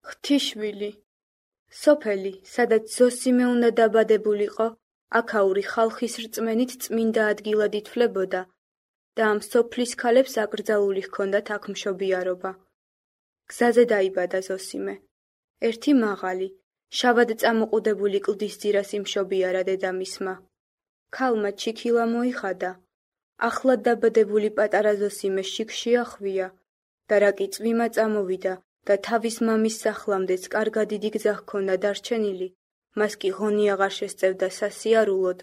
ღვთისშვილი. სოფელი, სადაც ზოსიმე უნდა დაბადებულიყო, აქაური ხალხის რწმენით წმინდა ადგილად ითვლებოდა და ამ სოფლის ქალებს აკრძალული ჰქონდათ აქ მშობიარობა. გზაზე დაიბადა ზოსიმე. ერთი მაღალი, შავად წამოყუდებული კლდის ძირას იმშობიარა დედამისმა. ქალმა ჩიქილა მოიხადა. ახლად დაბადებული პატარა ზოსიმე შიგში ახვია და რა კი წვიმა წამოვიდა და თავის მამის სახლამდეც კარგად დიდი გზა ჰქონდა დარჩენილი, მას კი ღონი აღარ შესწევდა სასიარულოდ,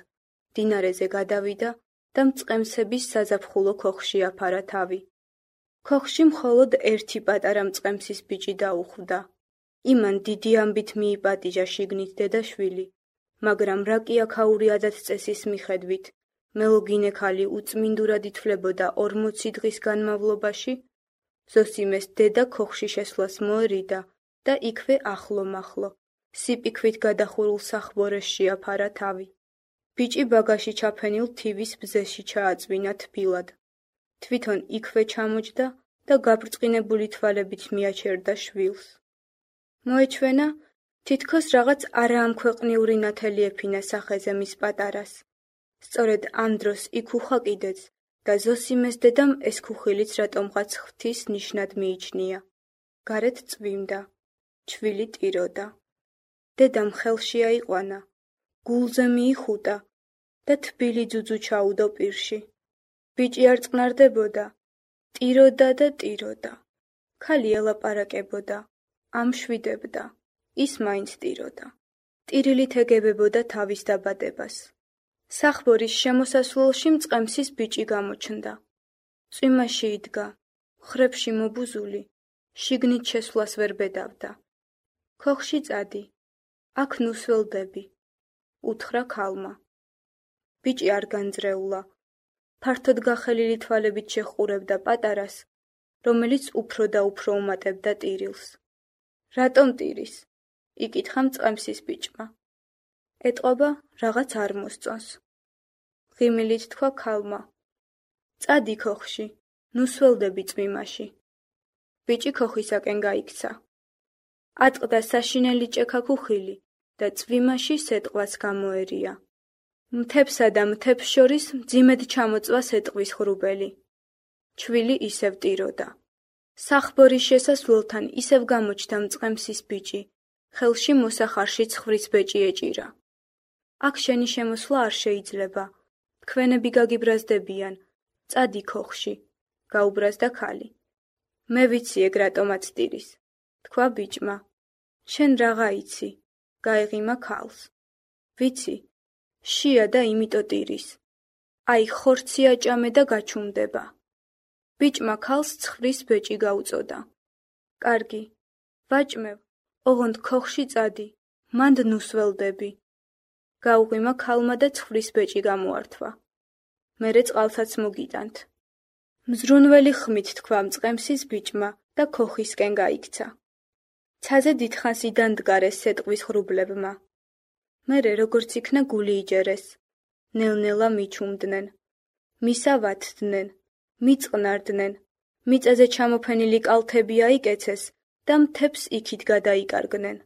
დინარეზე გადავიდა და მწყემსების საზაფხულო ქოხში აფარა თავი. ქოხში მხოლოდ ერთი პატარა მწყემსის ბიჭი დაუხვდა. იმან დიდი ამბით მიიპატიჟა შიგნით დედაშვილი, მაგრამ რა კი აქაური ადათ-წესის მიხედვით, მელოდინე ქალი უწმინდურად ითვლებოდა 40 დღის განმავლობაში, ზოსიმეს დედა ქოხში შესვლას მოერიდა და იქვე ახლო-მახლო, სიპიქვით გადახურულ სახბორეს შეაფარა თავი. ბიჭი ბაგაში ჩაფენილ თივის ბზეში ჩააწვინა თბილად. თვითონ იქვე ჩამოჯდა და გაბრწყინებული თვალებით მიაჩერდა შვილს. მოეჩვენა, თითქოს რაღაც არაამქვეყნიური ნათელი ეფინა სახეზე მის პატარას. სწორედ ამ დროს იქ უხაკიდეც და ზოსიმეს დედამ ეს ქუხილიც რატომღაც ღვთის ნიშნად მიიჩნია. გარეთ წვიმდა, ჩვილი ტიროდა. დედამ ხელში აიყვანა, გულზე მიიხუტა და თბილი ძუძუ ჩაუდო პირში. ბიჭი არ წყნარდებოდა, ტიროდა და ტიროდა. ქალი ელაპარაკებოდა, ამშვიდებდა, ის მაინც ტიროდა. ტირილით ეგებებოდა თავის დაბადებას. სახბორის შემოსასვლელში მწყემსის ბიჭი გამოჩნდა. წვიმაში იდგა, ხრებში მობუზული, შიგნით შესვლას ვერ ბედავდა. ქოხში წადი, აქ ნუსველდები, უთხრა ქალმა. ბიჭი არ განძრეულა. ფართოდ გახელილი თვალებით შეჰყურებდა პატარას, რომელიც უფრო და უფრო უმატებდა ტირილს. რატომ ტირის? იკითხა მწყემსის ბიჭმა. ეტყობა, რაღაც არ მოსწონს. ღიმილით თქვა ქალმა. წადი ქოხში, ნუსველდები წვიმაში. ბიჭი ქოხისაკენ გაიქცა. ატყდა საშინელი ჭექა ქუხილი და წვიმაში სეტყვას გამოერია. მთებსა და მთებს შორის მძიმედ ჩამოწვა სეტყვის ღრუბელი. ჩვილი ისევ ტიროდა. სახბორის შესასვლელთან ისევ გამოჩნდა მწყემსის ბიჭი, ხელში მოსახარში ცხვრის ბეჭი ეჭირა. აქ შენი შემოსვლა არ შეიძლება. თქვენები გაგიბრაზდებიან, წადი ქოხში, გაუბრაზდა ქალი. მე ვიცი ეგ რატომაც ტირის, თქვა ბიჭმა. შენ რაღა იცი, გაეღიმა ქალს. ვიცი, შია და იმიტო ტირის. აი ხორცი აჭამე და გაჩუმდება. ბიჭმა ქალს ცხვრის ბეჭი გაუწოდა. კარგი, ვაჭმევ, ოღონდ ქოხში წადი, მანდ ნუსველდები. გაუღიმა ქალმა და ცხვრის ბეჭი გამოართვა. მერე წყალსაც მოგიტანთ. მზრუნველი ხმით თქვა მწყემსის ბიჭმა და ქოხისკენ გაიქცა. ცაზე დიდხანს იდანდგარეს სეტყვის ღრუბლებმა. მერე როგორც იქნა გული იჯერეს, ნელ-ნელა მიჩუმდნენ. მისავათდნენ, მიწყნარდნენ, მიწაზე ჩამოფენილი კალთები აიკეცეს და მთებს იქით გადაიკარგნენ.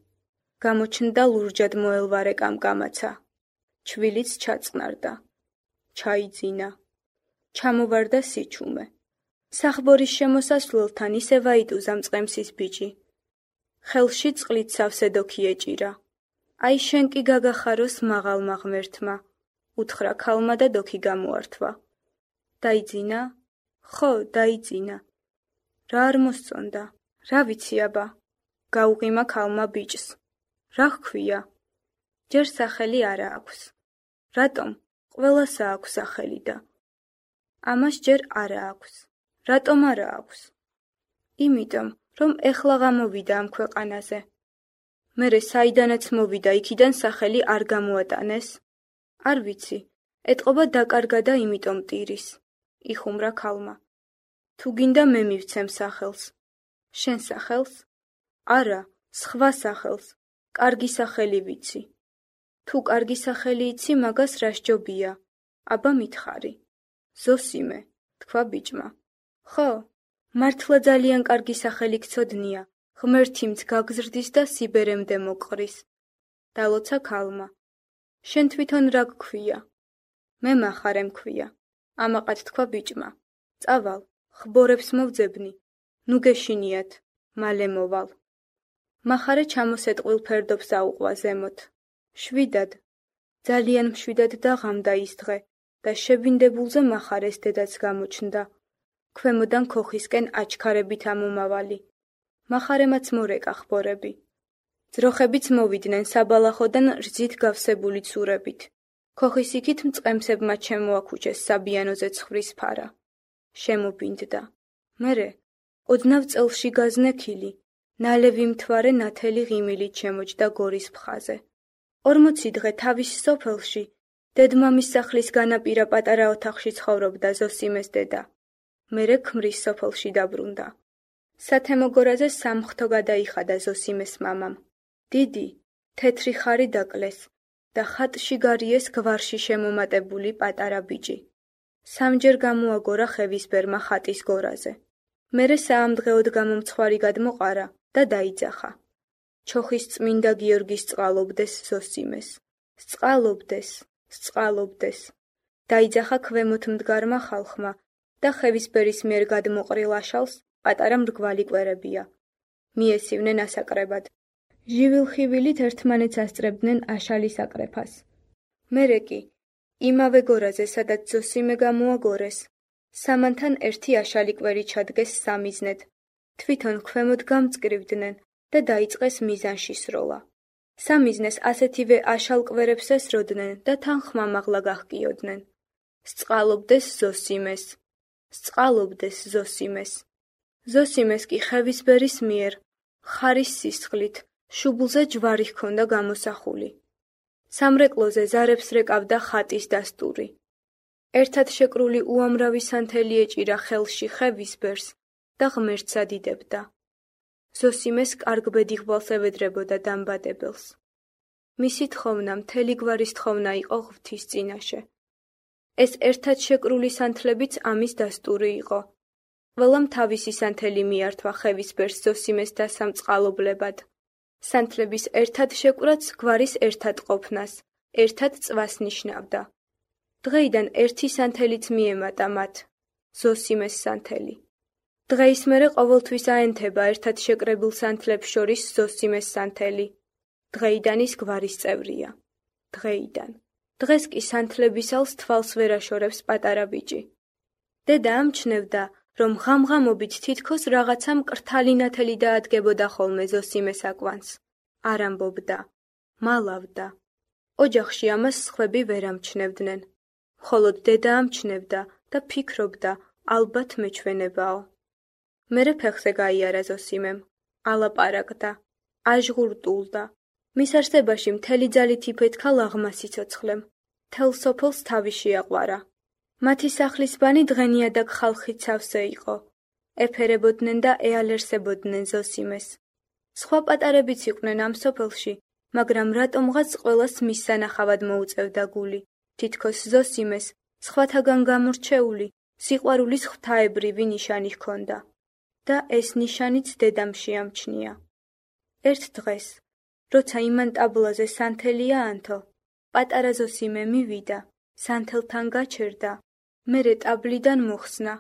გამოჩნდა ლურჯად მოელვარე კამკამაცა. ჩვილიც ჩაწყნარდა. ჩაიძინა. ჩამოვარდა სიჩუმე. სახბორის შემოსასვლელთან ისევ აიტუზა მწყემსის ბიჭი. ხელში წყლით სავსე დოქი ეჭირა. აი შენ კი გაგახაროს მაღალმა ღმერთმა, უთხრა ქალმა და დოქი გამოართვა. დაიძინა? ხო, დაიძინა. რა არ მოსწონდა? რა ვიცი აბა? გაუღიმა ქალმა ბიჭს. რა ჰქვია? ჯერ სახელი არა აქვს. რატომ? ყველასა აქვს სახელი და. ამას ჯერ არა აქვს. რატომ არა აქვს? იმიტომ, რომ ეხლა გამოვიდა ამ ქვეყანაზე. მერე საიდანაც მოვიდა, იქიდან სახელი არ გამოატანეს? არ ვიცი, ეტყობა დაკარგა და იმიტომ ტირის. იხუმრა ქალმა. თუ გინდა მე მივცემ სახელს. შენ სახელს? არა, სხვა სახელს. კარგი სახელი ვიცი. თუ კარგი სახელი იცი, მაგას რა სჯობია? აბა მითხარი. ზოსიმე, თქვა ბიჭმა. ხო, მართლა ძალიან კარგი სახელი გცოდნია, ღმერთიმც გაგზრდის და სიბერემდე მოყრის. დალოცა ქალმა. შენ თვითონ რა გქვია? მე მახარე მქვია. ამაყად თქვა ბიჭმა. წავალ, ხბორებს მოვძებნი. ნუ გეშინიათ, მალე მოვალ. მახარე ჩამოსეტყვილ ფერდობს აუყვა ზემოთ. შვიდად, ძალიან მშვიდად დაღამდა ის დღე და შებინდებულზე მახარეს დედაც გამოჩნდა. ქვემოდან ქოხისკენ აჩქარებით ამომავალი. მახარემაც მორეკა ხბორები. ძროხებიც მოვიდნენ საბალახოდან რძით გავსებული ცურებით. ქოხის იქით მწყემსებმა შემოაქუჩეს საბიანოზე ცხვრის ფარა. შემობინდდა. მერე, ოდნავ წელში გაზნექილი, ნალევი მთვარე ნათელი ღიმილით შემოჯდა გორის მხაზე. 40 დღე თავის სოფელში, დედმამის სახლის განაპირა პატარა ოთახში ცხოვრობდა ზოსიმეს დედა. მერე ქმრის სოფელში დაბრუნდა. სათემო გორაზე სამხთო გადაიხადა ზოსიმეს მამამ. დიდი, თეთრი ხარი დაკლეს და ხატში გარიეს გვარში შემომატებული პატარა ბიჭი. სამჯერ გამოაგორა ხევისბერმა ხატის გორაზე. მერე საამდღეოდ გამომცხვარი გადმოყარა და დაიძახა. ჩოხის წმინდა გიორგის წყალობდეს ზოსიმეს. სწყალობდეს, სწყალობდეს. დაიძახა ქვემოთ მდგარმა ხალხმა და ხევისბერის მიერ გადმოყრილ აშალს პატარა მრგვალი კვერებია. მიესივნენ ასაკრებად. ჟივილხივილით ერთმანეთს ასწრებდნენ აშალის აკრეფას. მერე კი, იმავე გორაზე, სადაც ზოსიმე გამოაგორეს, სამანთან ერთი აშალი კვერი ჩადგეს სამიზნედ. თვითონ ქვემოთ გამწკრივდნენ და დაიწყეს მიზანში სროლა. სამიზნეს ასეთივე აშალ კვერებს ესროდნენ და თან ხმამაღლა გაჰკიოდნენ. სწყალობდეს ზოსიმეს, სწყალობდეს ზოსიმეს. ზოსიმეს კი ხევისბერის მიერ, ხარის სისხლით, შუბლზე ჯვარი ჰქონდა გამოსახული. სამრეკლოზე ზარებს რეკავდა ხატის დასტური. ერთად შეკრული უამრავი სანთელი ეჭირა ხელში ხევისბერს და ღმერთს ადიდებდა. ზოსიმეს კარგ ბედიღბალს ევედრებოდა დამბადებელს. მისი თხოვნა მთელი გვარის თხოვნა იყო ღვთის წინაშე. ეს ერთად შეკრული სანთლებიც ამის დასტური იყო. ყველამ თავისი სანთელი მიართვა ხევისბერს ზოსიმეს დასამწყალობლებად. სანთლების ერთად შეკვრაც გვარის ერთად ყოფნას, ერთად წვას ნიშნავდა. დღეიდან ერთი სანთელიც მიემატა მათ, ზოსიმეს სანთელი. დღეის მერე ყოველთვის აენთება ერთად შეკრებილ სანთლებს შორის ზოსიმეს სანთელი. დღეიდან ის გვარის წევრია. დღეიდან. დღეს კი სანთლების ალს თვალს ვერ აშორებს პატარა ბიჭი. დედა ამჩნევდა, რომ ღამღამობით თითქოს რაღაცა მკრთალი ნათელი დაადგებოდა ხოლმე ზოსიმეს აკვანს. არ ამბობდა, მალავდა. ოჯახში ამას სხვები ვერ ამჩნევდნენ. მხოლოდ დედა ამჩნევდა და ფიქრობდა, ალბათ მეჩვენებაო. მერე ფეხზე გაიარა ზოსიმემ, ალაპარაკდა, აჟღურტულდა. მის არსებაში მთელი ძალით იფეთქა ლაღმა სიცოცხლემ. მთელ სოფელს თავი შეაყვარა. მათი სახლის ბანი დღენიაдаг ხალხით სავსე იყო. ეფერებოდნენ და ეალერსებოდნენ ზოსიმეს. სხვა პატარებიც იყვნენ ამ სოფელში, მაგრამ რატომღაც ყველას მის სანახავად მოუწევდა გული. თითქოს ზოსიმეს, სხვათაგან გამორჩეული, სიყვარულის ღვთაებრივი ნიშანი ჰქონდა. და ეს ნიშანიც დედამ შეამჩნია. ერთ დღეს, როცა იმან ტაბლაზე სანთელი აანთო, პატარა ზოსიმე მივიდა, სანთელთან გაჩერდა, მერე ტაბლიდან მოხსნა,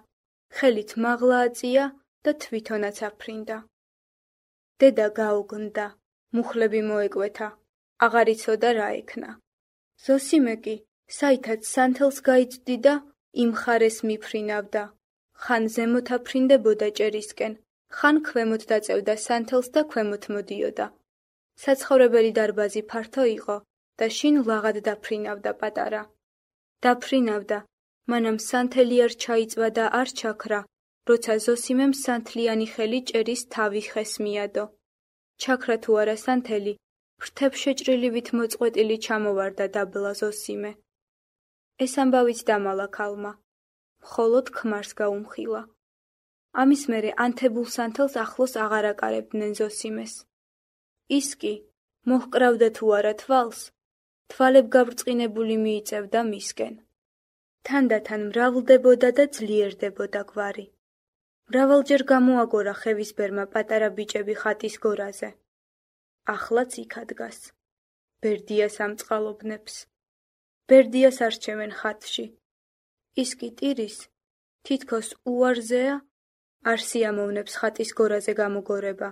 ხელით მაღლა აწია და თვითონაც აფრინდა. დედა გაუგნდა, მუხლები მოეკვეთა, აღარ იცოდა რა ექნა. ზოსიმე კი, საითაც სანთელს გაიწვდიდა, იმ ხარეს მიფრინავდა. ხან ზემოთ აფრინდებოდა ჭერისკენ, ხან ქვემოთ დაწევდა სანთელს და ქვემოთ მოდიოდა. საცხოვრებელი დარბაზი ფართო იყო და შინ ლაღად დაფრინავდა პატარა. დაფრინავდა, მანამ სანთელი არ ჩაიწვა და არ ჩაქრა, როცა ზოსიმემ სანთლიანი ხელი ჭერის თავი ხეს მიადო. ჩაქრა თუ არა სანთელი, ფრთებ შეჭრილივით მოწყვეტილი ჩამოვარდა დაბლა ზოსიმე. ეს ამბავით დამალა ქალმა. მხოლოდ ქმარს გაუმხილა. ამის მერე ანთებულ სანთელს ახლოს აღარ აკარებდნენ ზოსიმეს. ის კი, მოჰკრავდა თუ არა თვალს, თვალებ გაბრწყინებული მიიწევდა მისკენ. თანდათან მრავლდებოდა და ძლიერდებოდა გვარი. მრავალჯერ გამოაგორა ხევისბერმა პატარა ბიჭები ხატის გორაზე. ახლაც იქ ადგას. ბერდიას ამწყალობნებს. ბერდიას არჩევენ ხატში. ის კი ტირის, თითქოს უარზეა, არ სიამოვნებს ხატის გორაზე გამოგორება.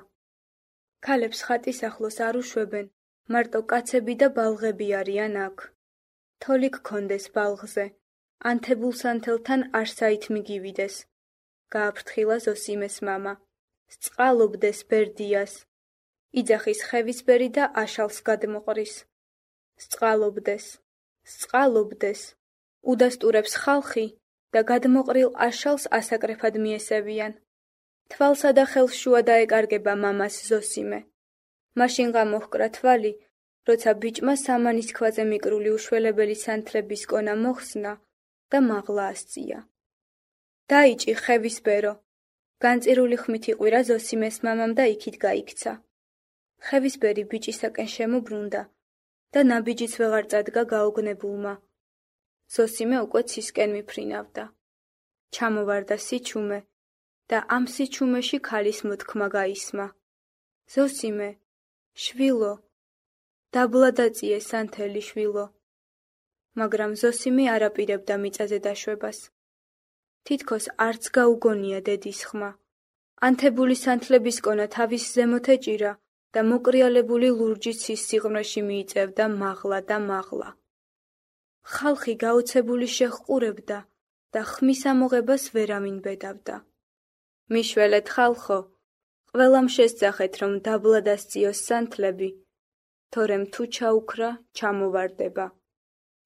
ქალებს ხატის ახლოს არ უშვებენ, მარტო კაცები და ბალღები არიან აქ. თოლი გქონდეს ბალღზე, ანთებულ-სანთელთან არ საით მიგივიდეს. გააფრთხილა ზოსიმეს მამა. სწყალობდეს ბერდიას. იძახის ხევისბერი და აშალს გადმოყრის. სწყალობდეს, სწყალობდეს. უდასტურებს ხალხი და გადმოყრილ აშალს ასაკრეფად მიესევიან. თვალსა და ხელს შუა დაეკარგება მამას ზოსიმე. მაშინღა მოჰკრა თვალი, როცა ბიჭმა სამანის ქვაზე მიკრული უშველებელი სანთლების კონა მოხსნა და მაღლა ასწია. დაიჭი ხევისბერო. განწირული ხმით იყვირა ზოსიმეს მამამ და იქით გაიქცა. ხევისბერი ბიჭისაკენ შემობრუნდა და ნაბიჯიც ვეღარ წადგა გაოგნებულმა. ზოსიმე უკვე ცისკენ მიფრინავდა. ჩამოვარდა სიჩუმე და ამ სიჩუმეში ქალის მოთქმა გაისმა. ზოსიმე, შვილო, დაბლა დაწიე სანთელი შვილო. მაგრამ ზოსიმე არ აპირებდა მიწაზე დაშვებას. თითქოს არც გაუგონია დედის ხმა. ანთებული სანთლების კონა თავის ზემოთ ეჭირა და მოკრიალებული ლურჯი ცის სიღრმეში მიიწევდა მაღლა და მაღლა. ხალხი გაოცებული შეჰყურებდა და ხმის ამოღებას ვერავინ ბედავდა. მიშველეთ ხალხო, ყველამ შესძახეთ, რომ დაბლა დასწიოს სანთლები, თორემ თუ ჩაუქრა, ჩამოვარდება.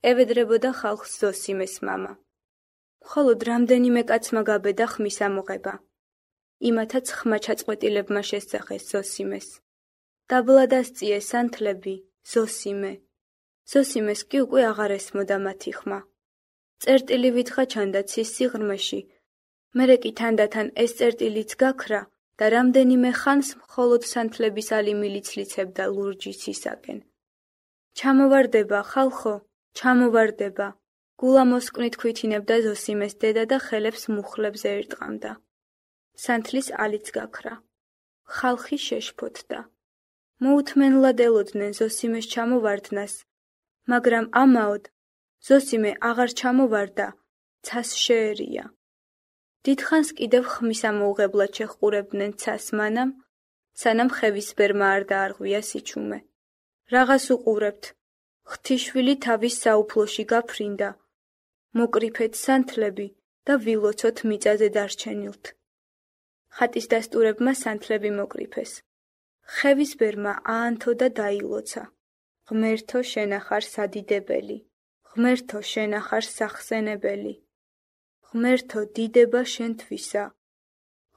ევედრებოდა ხალხს ზოსიმეს მამა. მხოლოდ რამდენიმე კაცმა გაბედა ხმის ამოღება. იმათაც ხმა ჩაწყვეტილებმა შესძახეს ზოსიმეს. დაბლა დასწიე სანთლები, ზოსიმე. ზოსიმეს კი უკვე აღარ ესმოდა მათი ხმა. წერტილი ვითხა ჩანდა ცის სიღრმეში, მერე კი თანდათან ეს წერტილიც გაქრა და რამდენიმე ხანს მხოლოდ სანთლების ალიმილი ცლიცებდა ლურჯი ცისაკენ. ჩამოვარდება, ხალხო, ჩამოვარდება. გულა მოსკვნით ქვითინებდა ზოსიმეს დედა და ხელებს მუხლებზე ერტყამდა. სანთლის ალიც გაქრა. ხალხი შეშფოთდა. მოუთმენლად ელოდნენ ზოსიმეს ჩამოვარდნას, მაგრამ ამაოდ ზოსიმე აღარ ჩამოვარდა, ცას შეერია. დიდხანს კიდევ ხმის ამოუღებლად შეჰყურებდნენ ცას მანამ, სანამ ხევისბერმა არ დაარღვია სიჩუმე. რაღაც უყურებთ. ღვთიშვილი თავის საუფლოში გაფრინდა. მოკრიფეთ სანთლები და ვილოცოთ მიწაზე დარჩენილთ. ხატის დასტურებმა სანთლები მოკრიფეს. ხევისბერმა აანთო და დაილოცა. ღმერთო შენახარ სადიდებელი. ღმერთო შენახარ სახსენებელი. ღმერთო დიდება შენთვისა.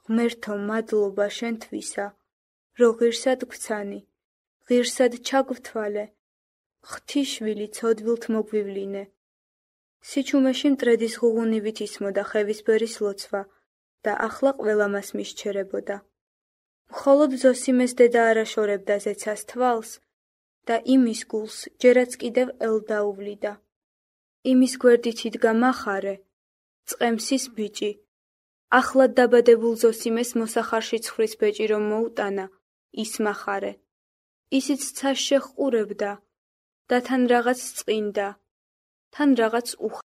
ღმერთო მადლობა შენთვისა, რო ღირსად გვცანი, ღირსად ჩაგვთვალე, ღვთიშვილი ცოდვილთ მოგვივლინე. სიჩუმეში მტრედის ღუღუნივით ისმოდა ხევისბერის ლოცვა და ახლა ყველა მას მისჩერებოდა. მხოლოდ ზოსიმეს დედა არ აშორებდა ზეცას თვალს და იმის გულს ჯერაც კიდევ ელდაუვლიდა. იმის გვერდით იდგა მახარე, წყემსის ბიჭი. ახლად დაბადებულ ზოსიმეს მოსახარში ცხრის ბეჭი რომ მოუტანა, ის მახარე. ისიც ცას შეჰყურებდა და თან რაღაც წყინდა, თან რაღაც